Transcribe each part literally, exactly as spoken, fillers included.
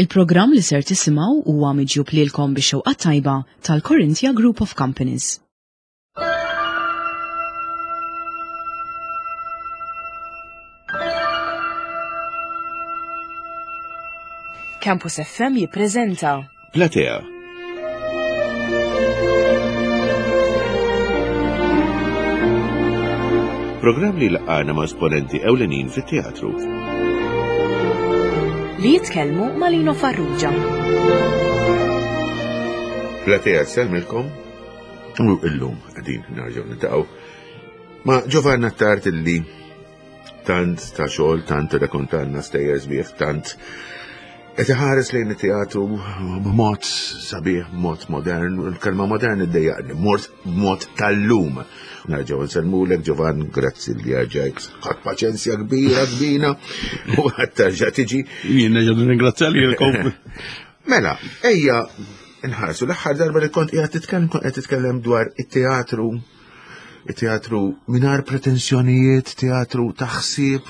Il-programm li ser tisimgħu huwa miġjub lilkom bix-xewqa tajba tal-Corinthia Group of Companies. Campus F M jippreżenta Platea. Programm li laqana ma' esponenti ewlenin fit-teatru. Li jitkellmu ma' Lino Farrugia. Platea tsellmilkom u illum qegħdin nerġgħu niltaqgħu ma' Giovanna Attard illi tant ta' xogħol, tant rrakontalna stejjer sbieħ, tant qed iħares lejn it-teatru b'mod sabiħ, b'mod modern, il-kelma modern iddejjaqni, mort b'mod tal-lum. Nerġgħu nsellmulek Giovan, grazzi li rġajt. Ħadt paċenzja kbira kbina u għad terġa' tiġi. Jien nerġa' nirringrazzja lilkom. Mela, ejja nħarsu l-aħħar darba li kont qiegħed titkellem kont qed titkellem dwar it-teatru it-teatru mingħajr pretensjonijiet, teatru ta' ħsieb,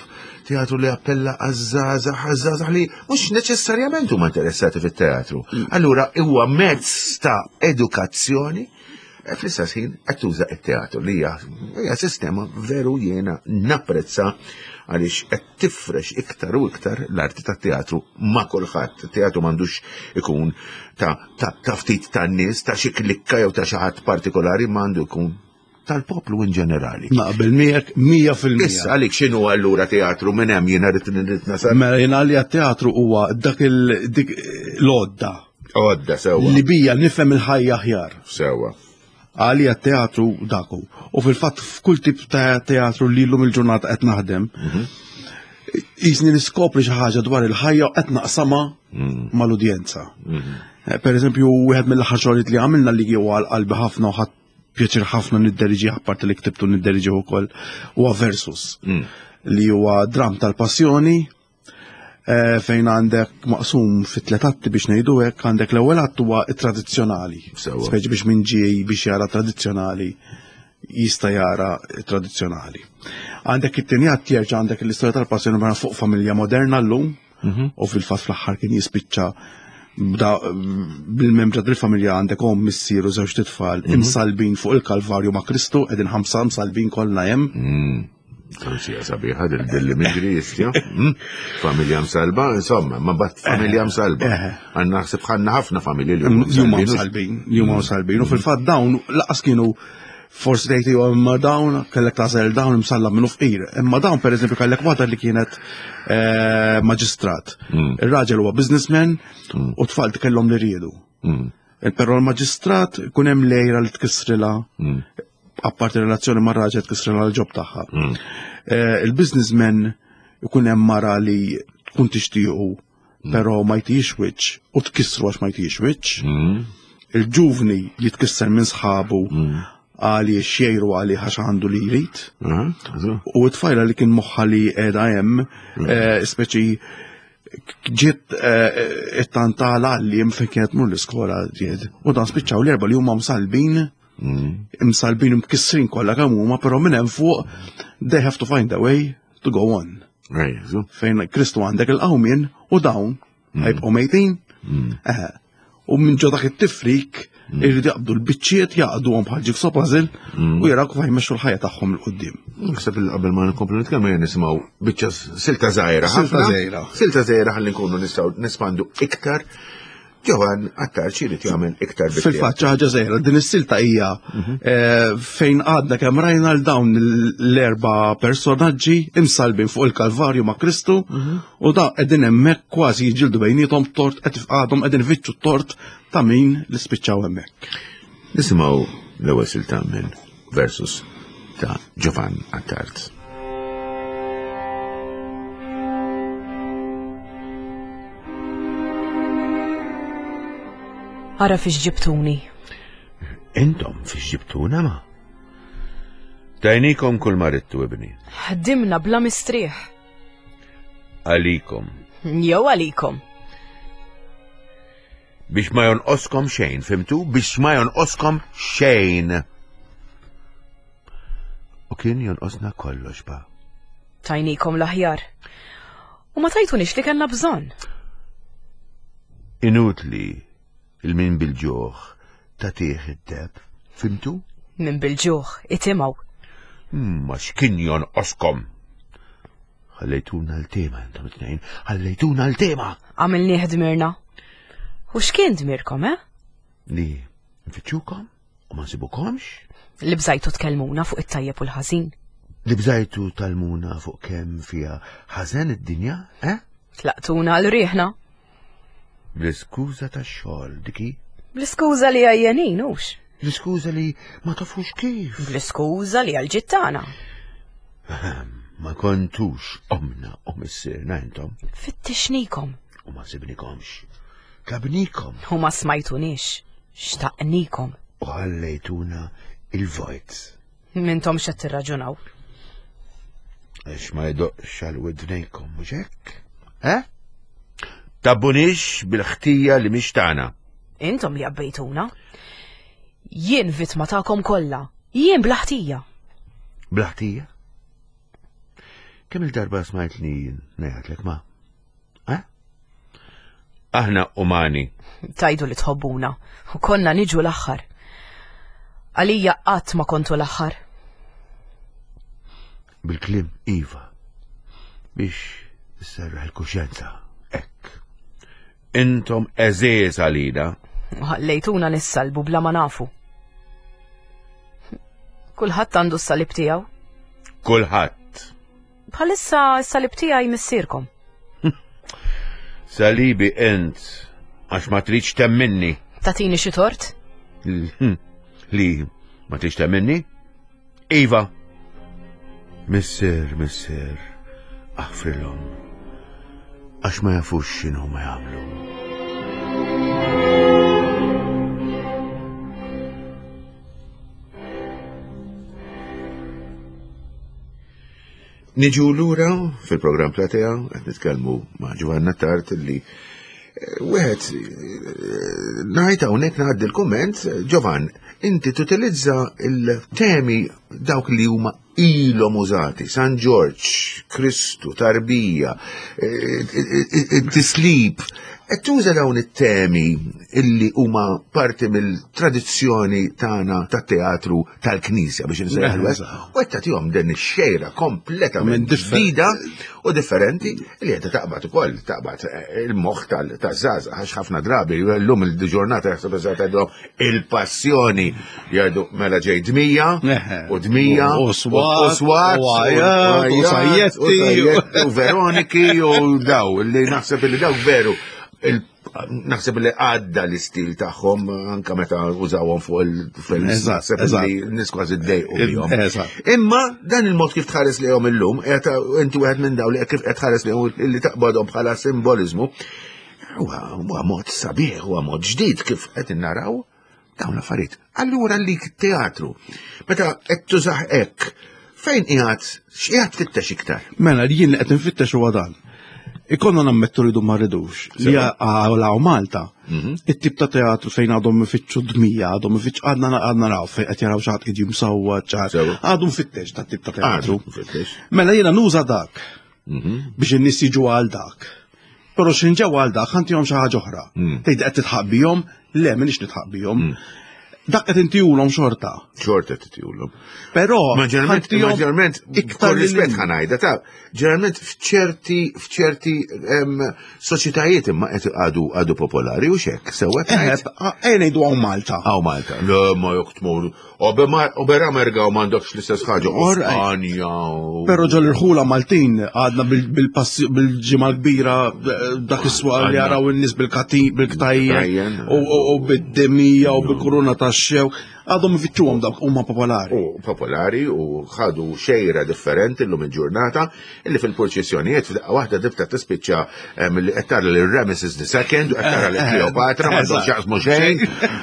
teatru li appella għaż-żgħażagħ, għaż-żgħażagħ li mhux neċessarjament huma interessati fit-teatru. Allura huwa mezz ta' edukazzjoni e fl-istess ħin qed tuża t-teatru li hija hija sistema veru jiena napprezza għaliex qed tifrex iktar u iktar l-arti tat-teatru ma' kulħadd. It-teatru m'għandux ikun ta' ta' ta' ftit tan-nies, ta' xi klikka jew ta' xi ħadd partikolari, ma għandu jkun tal-poplu in ġenerali. Naqbel miegħek mija fil-mija. Issa għalik x'inhu allura teatru minn hemm jiena rrid rrid nasal. Mela jiena għalija teatru huwa dak il dik l-għodda. Għodda sewwa. Li bija nifhem il-ħajja aħjar. Sewwa. Għalija teatru daku. U fil-fatt f'kull tip ta' teatru li llum il-ġurnata qed naħdem, Mhm. jisni niskopri xi ħaġa dwar il-ħajja u qed naqsamha Mm. mal-udjenza. Mhm. Eh, Per eżempju, wieħed mill-aħħar xogħlijiet li għamilna li huwa għal qalbi ħafna u ħadd pjaċir ħafna nidderiġi apparti li ktibtu nidderiġi wkoll huwa Versus Mm. li huwa dram tal-passjoni eh, fejn għandek maqsum fit tliet atti biex ngħidu hekk, għandek l-ewwel att huwa tradizzjonali. Sewwa. Speċi biex min ġej biex jara tradizzjonali jista' jara tradizzjonali. Għandek it-tieni att jerġa' għandek l-istorja tal-passjoni mara fuq familja moderna llum Mhm. u fil-fatt fl-aħħar kien jispiċċa bda bil-membra tal-familja għandek omm, missier u żewġ titfal imsalbin fuq il-Kalvarju ma' Kristu, qegħdin ħamsa msalbin kollha hemm. Mm. Sija sabiħa dil-migri jistja. Mm. Familja msalba, insomma, ma bat familja msalba. Eh. Għanna ħsib ħanna ħafna familji li huma Huma msalbin. msalbin, huma msalbin. U fil-fatt dawn laqas kienu forsi tgħid iwa imma dawn kellek tagħżel dawn imsallab minnu fqir. Imma dawn pereżempju kellek waħda li kienet eh, maġistrat. Mm. Ir-raġel huwa businessman u tfal kellhom li riedu. Mm. Però l-maġistrat kun hemm lejra li tkissrilha Mm. apparti relazzjoni ma' raġel tkissrilha l-ġob tagħha. Mm. Eh, Il-businessman ikun hemm mara li tkun tixtiequ però ma jtix wiċċ u tkissru għax ma jtix wiċċ. Mm. Il-ġuvni jitkisser minn sħabu Mm. għaliex jgħiru għalih għax għandu li jrid. Aha, so. U t-tfajla li kien moħħa li qiegħda hemm, eh, speċi ġiet eh, it-tantala li hemm fejn kienet mur l-iskola ġiet. U dan spiċċaw l-erba li huma msalbin Mm. imsalbin imkissrin kollha kemm huma, però minn hemm fuq they have to find a way to go on. Ejja, so. Fejn Kristu għandek il-qawmien u dawn ħajbqgħu mejtin. Mm. Eh, U minn ġo dak it-tifrik irridu jaqbdu l-biċċiet jaqduhom bħal jigsaw puzzle u jaraw kif jmexxu l-ħajja tagħhom 'il quddiem. Naħseb li qabel ma nkomplu nitkellmu jien nisimgħu biċċa silta żgħira. Silta ħafna. żgħira. Silta żgħira ħalli nkunu nistgħu nespandu iktar. Giovan Attard xi jrid jagħmel iktar bit Fil-fatt xi ħaġa żgħira, din is-silta hija eh, fejn għadna kemm rajna l dawn l-erba' personaġġi imsalbin fuq il-Kalvarju ma' Kristu u da qegħdin hemmhekk kważi jiġġieldu bejniethom tort qed għadhom qegħdin ifittxu t-tort ta' min li spiċċaw hemmhekk. Nisimgħu l-ewwel silta minn Versus ta' Giovan Attard. Ara fiex ġibtuni. Intom fiex ġibtuna ma? Tajnikom kull ma ridtu ibni. Ħdimna bla mistrieħ. Għalikom. Jew għalikom. Biex ma jonqoskom xejn, fhimtu? Biex ma jonqoskom xejn. U kien jonqosna kollox ba. Tajnikom l-aħjar. U ma tajtunix li kellna bżonn. Inutli il-min bil-ġuħ tagħtih id-deheb, fhimtu? Min bil-ġuħ itimaw. Ma x'kien jonqoskom. Ħallejtuna l-tema intom it-tnejn, ħallejtuna l-tema. Għamilnieh dmirna. U x'kien dmirkom, eh? Li nfittxukom u ma nsibukomx? Li bżajtu tkellmuna fuq it-tajjeb u l-ħażin. Li bżajtu tgħallmuna fuq kemm fiha ħażen id-dinja, eh? Tlaqtuna għal riħna. Bl-iskuża tax-xogħol diki? Bl-iskuża li għajjenin, hux? Bl-iskuża li ma tafux kif. Bl-iskuża li għal ġittana. Ma kontux omna u missierna intom. Fittixnikom. U ma sibnikomx. Tlabnikom. U ma smajtunix. Xtaqnikom. U ħallejtuna il-vojt. Mintom xed tirraġunaw. Għax ma jdoqqx għal widnejkom, mhux hekk? Eh? Tgħabbunix bil-ħtija li mhix tagħna. Intom li għabbejtuna. Jien vittma tagħkom kollha. Jien bla ħtija. Bla ħtija? Kemm il-darba smajtni ngħidlek ma? Eh? Aħna umani. Tajdu li tħobbuna. U konna niġu l-aħħar. Għalija qatt ma kontu l-aħħar. Bil-kliem iva. Biex isserraħ il-kuxjenza. Hekk. Intom għeżież għalina. U ħallejtuna nissalbu bla ma nafu. Kulħadd għandu s-salib tiegħu. Kulħadd. Bħalissa s-salib tiegħi missierkom. Salibi int għax ma tridx temminni. Tatini xi tort? Li ma tridx temminni? Iva. Missier, missier, aħfrilhom. Għax ma jafux x'inhu ma jagħmlu. Niġu lura fil-programm Platea, qed nitkellmu ma' Giovanna Attard li wieħed ngħid hawnhekk ngħaddi l-kumment, Giovan, inti tutilizza il-temi dawk li huma ilhom użati, San Ġorġ, Kristu, Tarbija, it-tislib, qed tuża dawn it-temi illi huma parti mill-tradizzjoni tagħna tat-teatru tal-Knisja biex insejħlu hekk, u qed tagħtihom din ix-xejra kompletament ġdida u differenti li qed taqbad ukoll, taqbad il-moħħ taż-żgħażagħ għax ħafna drabi llum il-ġurnata jaħseb eżatt tgħidilhom il-passjoni jgħidu mela ġej dmija u dmija u swat u sajjetti u Veroniki u daw li naħseb li dawk veru naħseb li għadda l-istil tagħhom anka meta użawhom fuq il-films, naħseb li n-nies kważi ddejqu bihom. Imma dan il-mod kif tħares lejhom illum, inti wieħed minn dawn li kif qed tħares lejhom li taqbadhom bħala simboliżmu, huwa mod sabiħ, huwa mod ġdid kif qed naraw dawn l-affarijiet. Allura li teatru, meta qed tużah hekk, fejn qiegħed, x'qiegħed tfittex iktar? Mela jien qed nfittex huwa dan. Ikonna nammettu rridu ma rridux li għaw Malta, it-tip ta' teatru fejn għadhom ifittxu dmija, għadhom ifittxu għadna għadna naraw fejn qed jaraw xi ħadd jiġi msawwa ċar. Għadhom fittex ta' tip ta' teatru. Mela jiena nuża dak biex in-nies jiġu għal dak. Però x'in ġew għal dak ħantihom xi ħaġa oħra. Tgħid qed titħaq bihom? Le, m'iniex nitħaq bihom. Dak qed intihulhom xorta. Xorta titihulhom. Però ma ġeneralment iktar rispett ħa ngħidha ta' ġeneralment f'ċerti f'ċerti soċjetajiet imma qed għadu għadu popolari u xek sewwa qed eh ngħidu hawn Malta. Hawn Malta. Le ma jekk tmur Ober Amerika u m'għandokx l-istess ħaġa. Spanja. Però ġol irħula Maltin għadna bil-ġimgħa kbira dak is-swaq li jaraw in-nies bil-ktajjen u bid-demija u bil-kuruna ta' xew, għadhom ifittxuhom dawk huma popolari. U popolari u ħadu xejra differenti llum il-ġurnata illi fil-purċissjonijiet f'daqqa waħda tibda tispiċċa milli qed tara lil Ramesses the Second u qed tara lil Kleopatra m'għandhom x'jaqsmu xejn.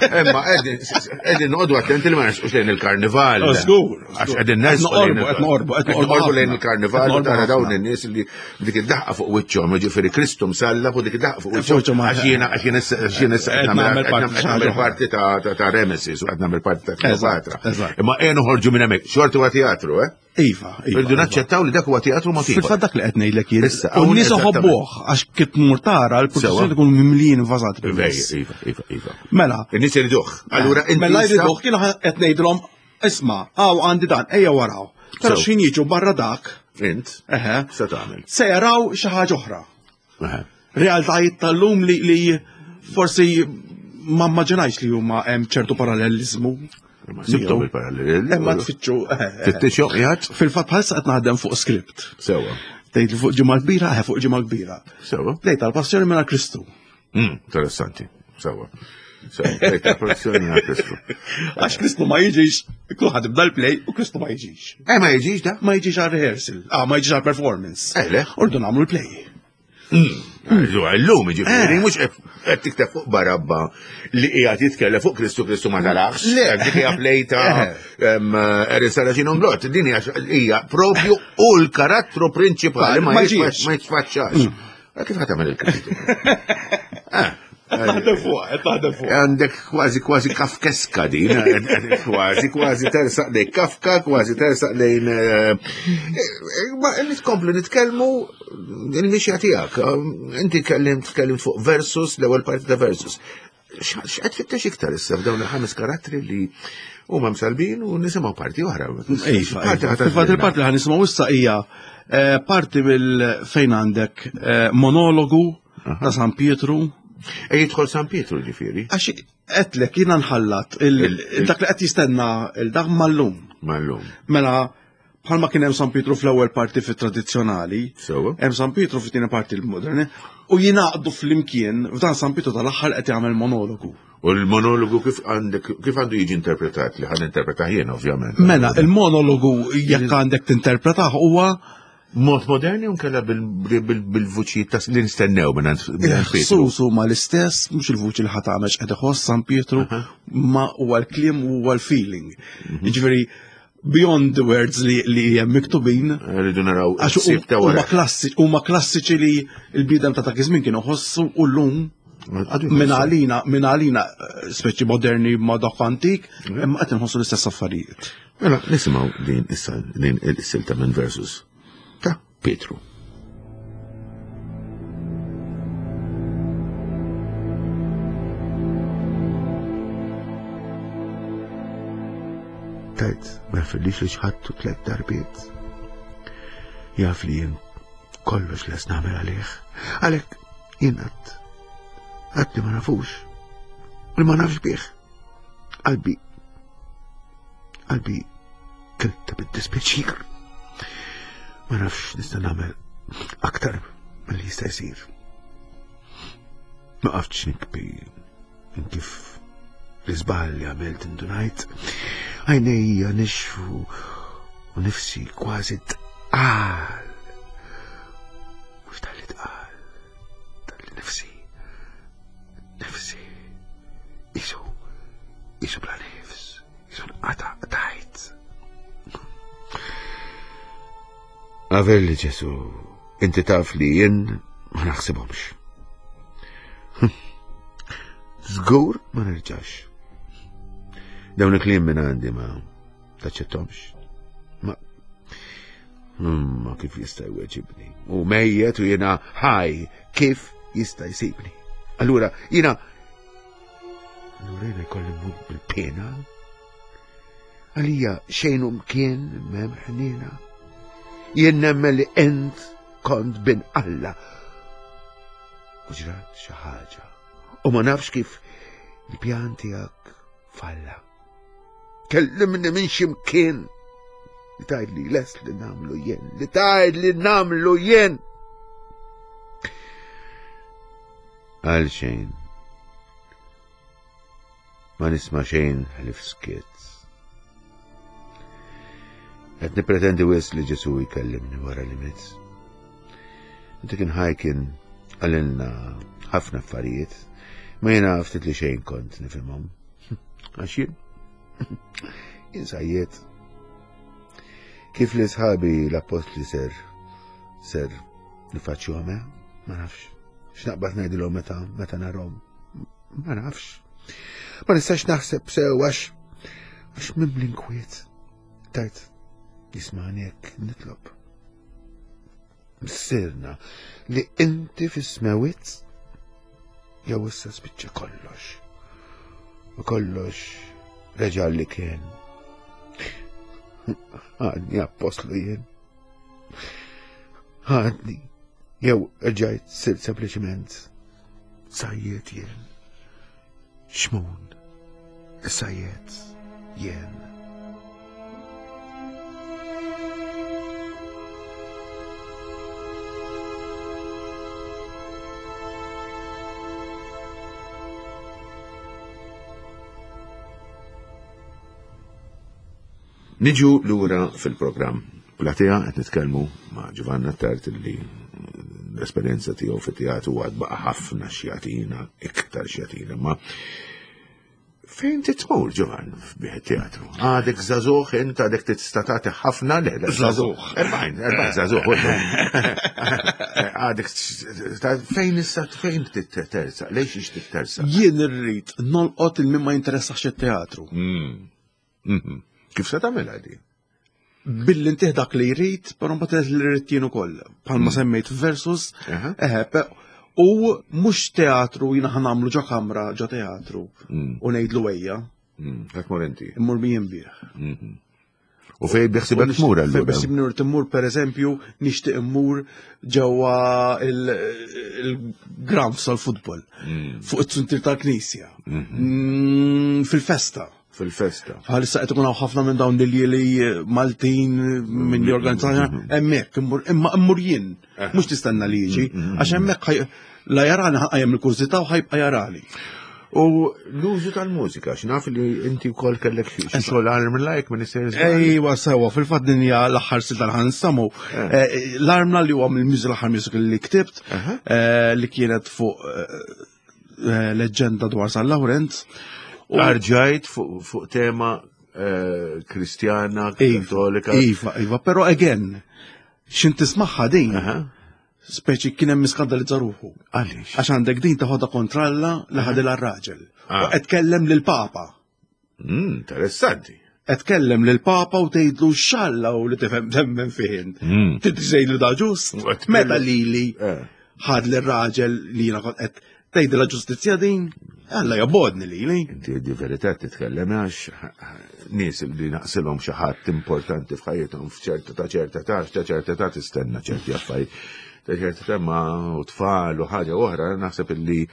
Imma qegħdin noqogħdu attenti li ma nersqux lejn il-karnival. Żgur. Għax qegħdin nersqu qed noqorbu qed noqorbu lejn il-karnival u tara dawn in-nies li dik id-daħqa fuq wiċċhom, jiġifieri Kristu msallab u dik id-daħqa fuq wiċċhom. Għax jiena għax jiena qed nagħmel parti ta' Ramesses u qed nagħmel parti il-parti ta' Kleopatra. Imma ejja noħorġu minn hemmhekk, xorti huwa teatru, eh? Iva, iva. Irridu naċċettaw li dak huwa teatru ma Fil-fatt dak li qed ngħidlek jien. U n-nies iħobbuh għax kif tmur tara l-produzzjoni tkun mimlijin invażat. Iva, iva, iva. Mela. In-nies iriduh. Allura inti. Mela jriduh kien qed ngħidilhom isma' hawn għandi dan, ejja waraw. Però x'ħin jiġu barra dak. Int. Eħe. Se tagħmel. Se jaraw xi ħaġa oħra. Realtajiet tal-lum li forsi ma immaġinajx li huma hemm ċertu parallelizmu. Sibtom il-parallel. Imma tfittxu. Tfittxu qiegħed? Fil-fatt bħalissa qed naħdem fuq script. Sewwa. Tgħid fuq ġimgħa kbira, eh fuq ġimgħa kbira. Sewwa. Tgħid tal-passjoni minn Kristu. Interessanti. Sewwa. Sewwa, tal-passjoni minn Kristu. Għax Kristu ma jiġix, kulħadd ibda l-play u Kristu ma jiġix. Eh ma jiġix da? Ma jiġix għal rehearsal, ah ma jiġix għal performance. Eh le. Urdu nagħmlu l-play. Illum ġifieri mhux qed tikteb fuq Barabba li qiegħed jitkellem fuq Kristu Kristu ma tarax. Le, dik hija play ta' Erin Saracino Nglott. Din hija propju u l-karattru prinċipali ma jitfaċċax. Kif ħa tagħmel il-Kristu? Naħdem fuq, qed naħdem fuq. Għandek kważi kważi kafkeska din, kważi kważi tersaq lejn Kafka, kważi tersaq lejn. Ma nitkomplu nitkellmu il-mixja tiegħek. Inti tkellimt tkellimt fuq Versus, l-ewwel parti ta' Versus. X'qed tfittex iktar issa f'dawn il-ħames karattri li huma msalbin u nisimgħu parti oħra. Iva, fil-fatt il-parti li ħa nisimgħu issa hija parti mill fejn għandek monologu ta' San Pietru. E jidħol San Pietru ġifieri. Għax qedlek jiena nħallat dak li qed jistenna il-dak mal-lum. Mal-lum. Mela bħalma kien hemm San Pietru fl-ewwel parti fit-tradizzjonali, hemm San Pietru fit-tieni parti l-moderni, u jingħaqdu flimkien f'dan San Pietru tal-aħħar qed jagħmel monologu. U l-monologu kif għandek kif għandu jiġi interpretat li ħan interpretah jien ovvjament. Mela il-monologu jekk għandek tinterpretah huwa mod moderni u nkella bil-vuċi ta' li nistennew minn Pietru. Sus huma l-istess, mhux il-vuċi li ħa tagħmel x'qed iħoss San Pietru, ma huwa l-kliem u huwa l-feeling. Jiġifieri beyond the words li hemm miktubin. Rridu naraw ssib ta' wara. Huma klassiċi li l-bniedem ta' dak iż-żmien kienu ħossu u llum minn għalina, minn għalina speċi moderni ma' dak antik, imma qed inħossu l-istess affarijiet. Mela nisimgħu din issa din il-silta minn Versus ta' Pietru. Tajt, ma jafillix li xħattu tlet darbiet. Jaf li jien kollox les nagħmel għalih. Għalhekk jien għad għad li ma nafux, li ma nafx bih. Qalbi, qalbi kilta bid-dispjaċir. Ma nafx nista' nagħmel aktar milli jista' jsir. Ma qaftx nikbi minn kif l-iżball li għamilt indunajt. Għajnejja nixfu u nifsi kważi tqal. Mhux talli tqal, talli nifsi, nifsi, isu, isu bla nifs, isu nqata' qtajt. Avelli Ġesu, inti taf li jien ma naħsibhomx. Żgur ma nerġax. Dawn il-kliem minn għandi ma taċċettomx. Ma ma kif jista' jweġibni? U mejjet u jiena ħaj kif jista' jsibni? Allura jiena allura jiena jkolli mmut bil-pena. Għalija xejn u mkien m'hemm ħniena. Jien nemmen li int kont bin Alla. U ġrat xi ħaġa. U ma nafx kif il-pjan tiegħek falla. Kellimni minn x'imkien. Li tgħid li lest li nagħmlu jien, li tgħid li nagħmlu jien. Għal xejn. Ma nisma' xejn ħlief skiet. Qed nippretendi wisq li Ġesu jkellimni wara li miet. Inti kien ħaj kien qalilna ħafna affarijiet, ma jiena ftit li xejn kont nifhimhom. Għax jien jien sajjiet. Kif li sħabi l-appostli ser ser nifaċċjuhom, ma nafx. X'naqbad ngħidilhom meta meta narhom, ma nafx. Ma nistax naħseb sew għax Għax mimli nkwiet. Tajt, jismani hekk nitlob. Missierna li inti fis-smewwiet jew issa spiċċa kollox. U kollox reġa' li kien. Għadni appostlu jien. Għadni. Jew rġajt sirt sempliċement sajjiet jien. Xmun, sajjiet jien. Niġu lura fil-programm. Platea qed nitkellmu ma' Giovanna Attard li l-esperjenza tiegħu fit-teatru għad baqa' ħafna x'jagħtina, iktar x'jagħtina, ma fejn titmur Giovann bih teatru? Għadek żagħżugħ int, għadek tista' tagħti ħafna le, le, Żagħżugħ. Erbgħin, erbgħin żagħżugħ. Għadek fejn issa fejn tittersa? Lejx ix tittersa? Jien irrid nolqot il min ma jinteressax it-teatru. Mm. Kif se tagħmilha di? Billi ntih dak li jrid, però mbagħad li rrid jien ukoll. Bħalma semmejt versus, Aha. eħe, pe- u mhux teatru jiena ħa nagħmlu ġo kamra ġo teatru u ngħidlu ejja, Ħa tmur inti. immur min jinbih. U fej biħsibek tmur Fej allura? biħsibni rrid immur pereżempju nixtieq immur ġewwa il-grounds tal-futbol, fuq it-suntir tal-knisja, Mm, fil-festa. Fil-festa. Bħalissa qed ikun hawn ħafna minn dawn li Maltin minn li organizzati hemmhekk immur imma immur jien, mhux tistenna li jiġi, għax hemmhekk ħaj- la jarani ħajjem il-kurżità u ħajbqa' jarani. U l-użu tal-mużika, x'naf li inti wkoll kellek xi xogħol arm like minn is-series. Ejwa sewa, fil-fatt din hija l-aħħar silta li ħansamu. Eh, L-armla li huwa mill-musical l-aħħar musical li ktibt, eh, li kienet fuq eh, leġġenda dwar San Lawrenz. U- Arġajt fuq fuq tema eh, kristjana, Iva, kattolika. Iva, iva, però again, xin tismaħħa din, Aha. speċi kien hemm iskandalizza ruħu. Għaliex? Għax għandek din taħodha kontra Alla li ħadilha r-raġel. Ah. U qed tkellem lill-Papa. Mm, interessanti. Qed tkellem lill-Papa u tgħidlu x'Alla u li tifhem temmen fih int. Mm. Tgħidlu da ġust. U qed Meta tkellem- lili Eh. ħad lir-raġel li jiena kont qed tgħidilha ġustizzja din, Alla jobodni lili. Inti di verità titkellem għax nies li naqsilhom xi ħadd importanti f'ħajjithom f'ċerta ta' ċerta ta' ta' ċerta ta' tistenna ċerti affarijiet. Ta' ċerta ta' ma u tfal u ħaġa oħra naħseb illi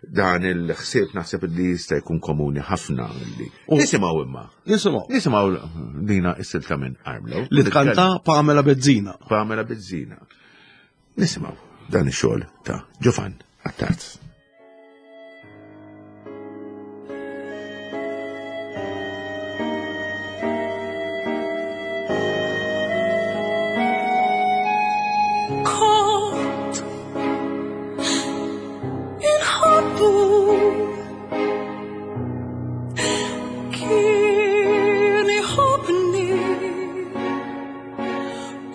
dan il-ħsieb naħseb illi jista' jkun komuni ħafna illi. Nisimgħu imma. Nisimgħu. Nisimgħu dina is-silta minn Armlow. Li tkanta Pamela Bezzina. Pamela Bezzina. Nisimgħu dan ix-xogħol ta' Giovann Attard. Kont inħobbu kien iħobbni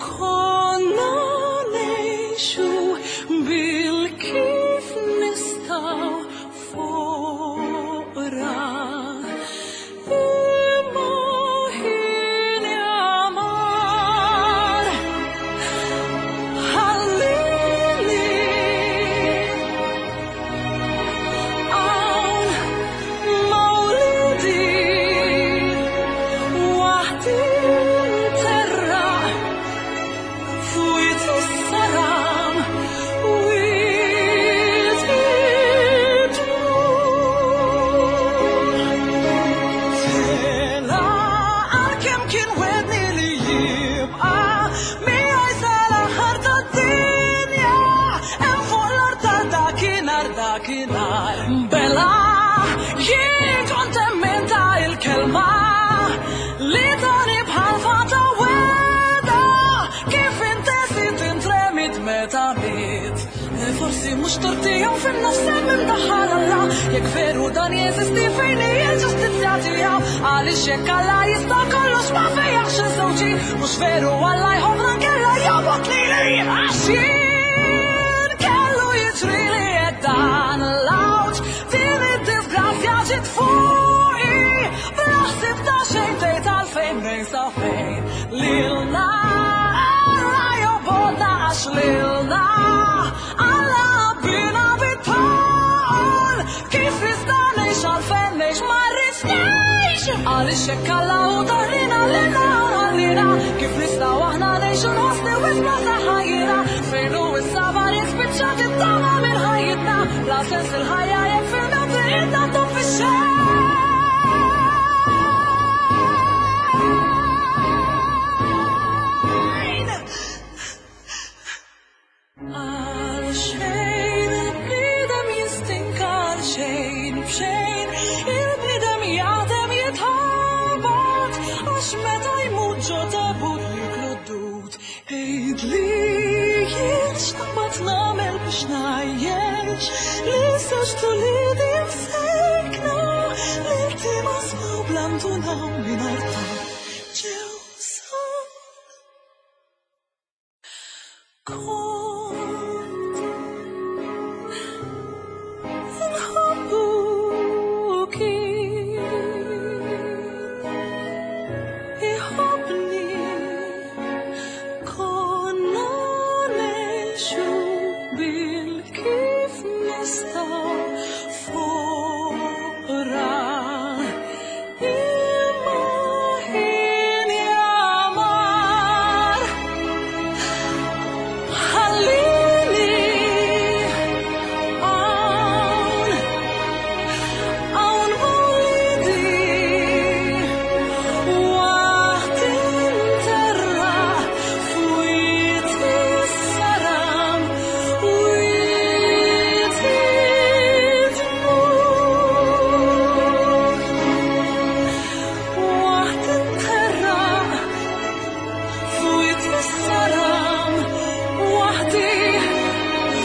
konna ngħixu bil-kif nistgħu foqra imma ħin jamar ħallini hawn mawlidi waħdi nterraq fwiet is-saram wiet id-dmugħ. Tela għalkemm kien wedni li jibqa' miegħi sal-aħħar tad-dinja hemm fuq l-art ta' dakinhar dakinhar. Bela jien kont emmenta il-kelma li tani bħal fata weda kif intesit intremit meta miet. Forsi mhux tortijom fin-nofs hemm imdaħħal Alla jekk veru dan jeżisti fejn hi l-ġustizzja tiegħu għaliex jekk Alla jista' kollox ma fejjaħx iż-żewġi mhux veru Alla jħobbna nkella jobgħod lili għax jien kellu jiġrili hekk dan l-għawġ din id-disgrazzja ġiet fuqi bla ħsieb ta' xejn. lilna Alla jobgħodna għax lilna Alla ħabbna bit-tul. Kif nista' ngħix, għalfejn ngħix, ma rridx ngħix. Għaliex jekk Alla hu dahrina lilna u ħallina, kif nistgħu aħna ngħixu nħossni wisq bla saħħa jiena? Fejn hu s-sabar jekk spiċċat it-tama minn ħajjitna? Bla sens il-ħajja jekk fil-mewt triqitna tgħum fix-xejn. Għal xejn il-bniedem jistinka, għal xejn b'xejn il-bniedem jaħdem jitħabat, għax meta jmut ġo tabut jiklu d-dud. Għidli jien x'naqbad nagħmel biex ngħajjex lil żewġt uliedi msejkna li ltima smaw bl-andunaw mingħajr tarf ġew sa Kont inħobbu kien iħobbni, konna ngħixu bil-kif nistgħu foqra, imma ħin jamar ħallini hawn, hawn ma' wliedi waqt interra fwiet is-saram wiet id-dmugħ, waqt interra fwiet is-saram waħdi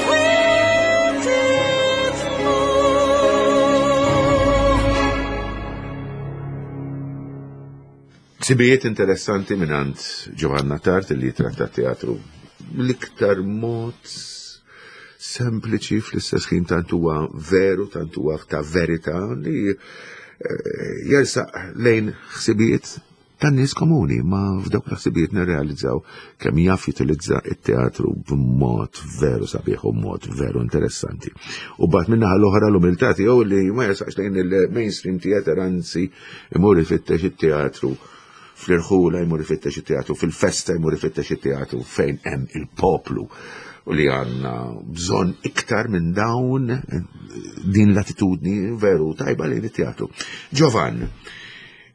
fwiet id-dmugħ. Ħsibijiet interessanti minant Giovanna Tart li tratta teatru l-iktar mod sempliċi, fl-istess ħin tant huwa veru, tant huwa ta' verità li eh, jersaq lejn ħsibijiet tan-nies komuni, ma f'dawk l-ħsibijiet nirrealizzaw kemm jaf jutilizza it-teatru b'mod veru sabiħ u mod veru interessanti. U bat minnaħa l-oħra l-umiltà tiegħu li ma jersaqx lejn il-mainstream theater, anzi imur ifittex it-teatru fl-irħula, jmur ifittex it-teatru fil-festa, jmur ifittex it-teatru fejn hemm il-poplu, u li għandna bżonn iktar minn dawn din l-attitudni veru tajba lejn it-teatru. Giovan,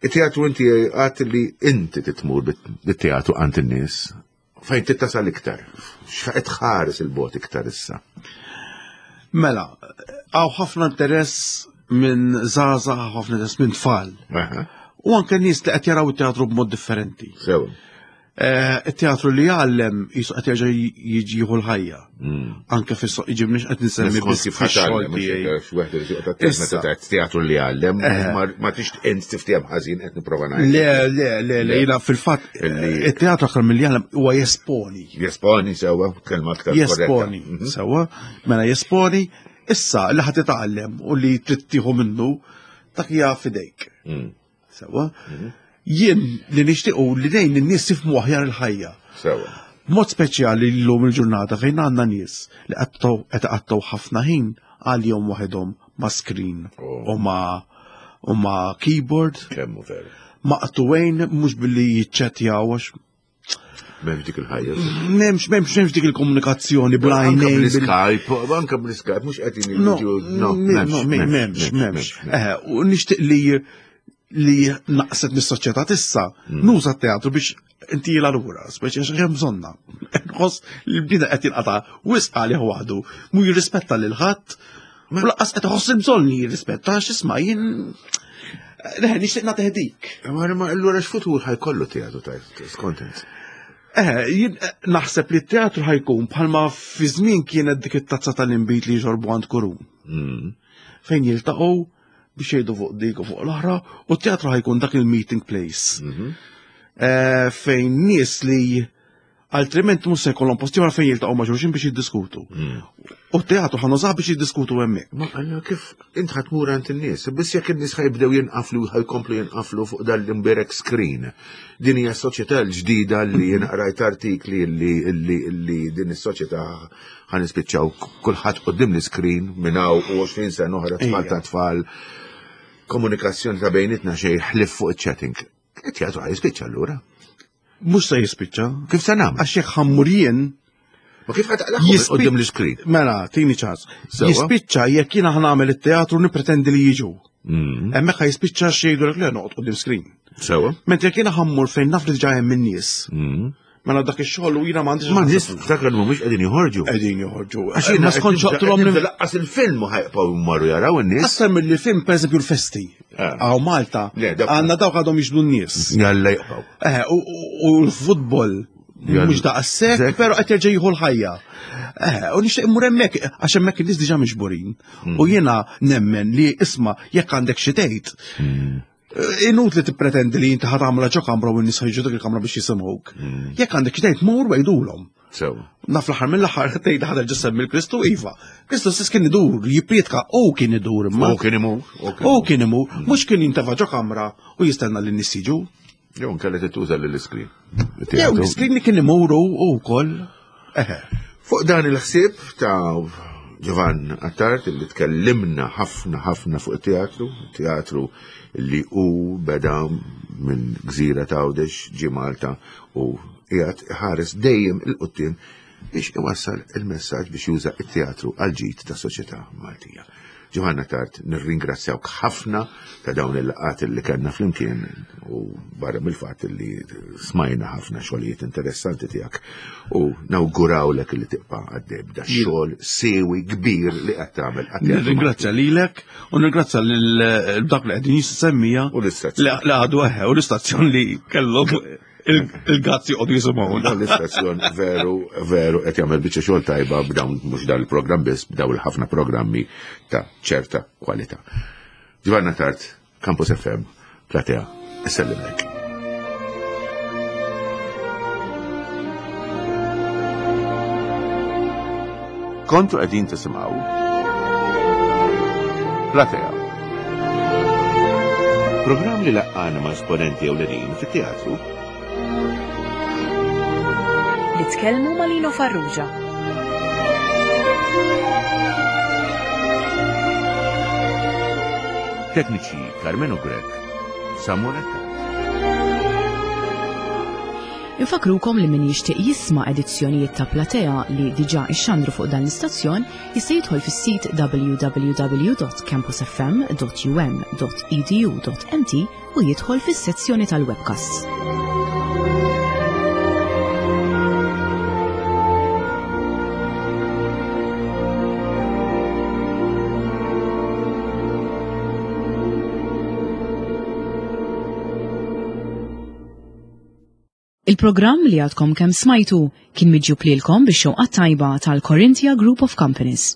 it-teatru inti għat li inti titmur bit-teatru għand in-nies, fejn tittasal iktar, x'qed tħares il-bot iktar issa? Mela, hawn ħafna interess minn żgħażagħ, ħafna interess minn tfal. Aha, U anke nies li qed jaraw it-teatru b'mod differenti. Sewa. Eh, It-teatru li jgħallem jisu qed jerġa' jiġi jieħu l-ħajja. Anke fis-soq jiġi mhux qed nsemmi Skont biss kif fix-xogħol ħatgħallem, tiegħi. mhux wieħed li joqgħod attent Issa. meta tgħid teatru li jgħallem, Eh. ma- ma tix int tiftiem ħażin qed nipprova ngħid. Le, le, le, le, jiena fil-fatt Illi- it-teatru aktar milli jgħallem huwa jesponi. Jesponi sewa, kelma aktar korretta. Jesponi, Mhm. sewa, mela jesponi, issa li ħadd titgħallem u li trid tieħu minnu dak hija fidejk. Mm, Sewa. Jien li nixtiequ li dejn in-nies jifhmu aħjar il-ħajja. Sewa. Mod speċjali llum il-ġurnata fejn għandna nies li qattgħu qed iqattgħu ħafna ħin għal-jum waħedhom ma' screen Oh. u ma' u ma' keyboard, Kemmu veru. maqtuwejn mhux billi jiċċettjaw għax M'hemmx dik il-ħajja. m'hemmx m'hemmx m'hemmx dik il-komunikazzjoni Anka bl-għajnejn bil- bl-Skype, anka bl-Skype, mhux qegħdin No, jiġu. no, m'hemmx, m'hemmx. Eh, U nixtieq li li naqset mis-soċjetà tissa, nuża t-teatru biex inti jila lura, speċi għax hemm bżonna. Nħoss li l-bniedem qed jinqata' wisq għalih waħdu, mu jirrispetta lil ħadd, u lanqas qed iħoss il-bżonn li jirrispetta għax isma' jien Leħ, nixtieq nagħti dik. Ma ma allura x'futur ħajkollu teatru tajt, skont int? Eh, jien eh, naħseb li t-teatru ħajkun bħalma fi żmien kienet dik it-tazza tal-inbid li jxorbu għand kurun. Mm. Fejn jiltaqgħu biex jgħidu fuq dik u fuq l-oħra, u t-teatru ħajkun dak il-meeting place. Mhm. Eh, fejn nies li Altrimenti mhux se jkollhom post ieħor fejn jiltaqgħu ma' xulxin biex jiddiskutu. U t-teatru ħa nużah biex jiddiskutu hemmhekk. Ma għanna kif int ħa tmur għand in-nies, biss jekk in-nies ħa jibdew jinqaflu ħa jkomplu jinqaflu fuq dan l-imberek screen. Din hija s-soċjetà l-ġdida li jien qrajt artikli li li li din is-soċjetà ħa nispiċċaw kulħadd quddiem l-screen minn hawn u għoxrin sena oħra, tfal ta' tfal, komunikazzjoni ta' bejnietna xejn ħlief fuq iċ-chatting. It-teatru ħa jispiċċa allura. Mhux se jispiċċa. Kif se nagħmel? Għax jekk ħa mmur jien Ma kif ħa taqlagħhom Jispi- quddiem l-screen? Mela, tini ċans. Sewa. Jispiċċa jekk jiena ħa nagħmel it-teatru nippretendi li jiġu. Mm. Hemmhekk ħa jispiċċa xejdu lek le noqgħod quddiem screen. Sewa. Mentri jekk jiena ħa mmur fejn naf li diġà hemm in-nies. Mm. Mela dak ix-xogħol u jiena m'għandix. Ma nies ftakar li mhumiex qegħdin joħorġu. Qegħdin joħorġu. Għax jiena Ma skontx joqtolhom qed nibda laqqas il-film u ħa jibqgħu jmorru jaraw in-nies. Aktar mill-film, per eżempju, l-festi. Ah. Hawn Malta, Le, dawk- għandna dawk għadhom jiġbdu n-nies. Jalla jibqgħu. Eh, u- u u l-futbol Jalla. mhux daqshekk, Zek. però qed jerġa' jieħu l-ħajja. Eh, u nixtieq immur hemmhekk għax hemmhekk in-nies diġà miġburin. Mm. U jiena nemmen li isma' jekk għandek xi tgħid. Mm. eh, Inutli tippretendi li inti ħa tagħmilha ġo kamra u n-nies ħa jiġu dik il-kamra biex jisimgħuk. Mm. Jekk għandek xi tgħid mur għidulhom. Sewa. Naf l-aħħar mill-aħħar tgħid ħa terġa' ssemmi l-Kristu, iva. Kristu stess kien idur, jipprietka u kien idur imma. U kien imur. U kien imur, mhux kien jintefa' ġo kamra u jistenna li n-nies jiġu. Jew nkella tituża lill-screen. Jew l-screen li kien imuru u wkoll. Eħe. Fuq dan il-ħsieb ta' Giovann Attard li tkellimna ħafna ħafna fuq it-teatru, teatru li hu beda minn gżira ta' Għawdex ġie Malta u qiegħed iħares dejjem 'il quddiem biex iwassal il-messaġġ biex juża it-teatru għal ġid ta' soċjetà Maltija. Giovann Attard, nirringrazzjawk ħafna ta' dawn il-laqgħat li kellna flimkien u barra mill-fatt li smajna ħafna xogħlijiet interessanti tiegħek u nawgurawlek li tibqa' għaddej b'da xogħol siewi kbir li qed tagħmel għat-teatru. Nirringrazzja lilek u nirringrazzja lil dak li qegħdin jissemmija U l-istazzjon. li li għadu eħe u l-istazzjon li kellhom il-gazzi qogħdu jisimgħuna. Dan l-istazzjon veru, veru qed jagħmel biċċa xogħol tajba b'dawn mhux dan il-programm biss, b'dawn il-ħafna programmi ta' ċerta kwalità. Giovann Attard, Campus F M, Platea, issellimlek. Kontu qegħdin tisimgħu Platea. Programm li laqqana ma' esponenti ewlenin fit-teatru Li tkellmu ma' Lino Farrugia. Tekniċi Carmelo Grech, Samuel Attard. Infakrukom li min jixtieq jisma' edizzjonijiet ta' Platea li diġà ixxandru fuq dan l-istazzjon jista' jidħol fis-sit w w w punt campusfm punt um punt edu punt m t u jidħol fis-sezzjoni tal-webcasts. Il-programm li għadkom kemm smajtu kien miġjub lilkom bix-xewqa tajba tal-Corinthia Group of Companies.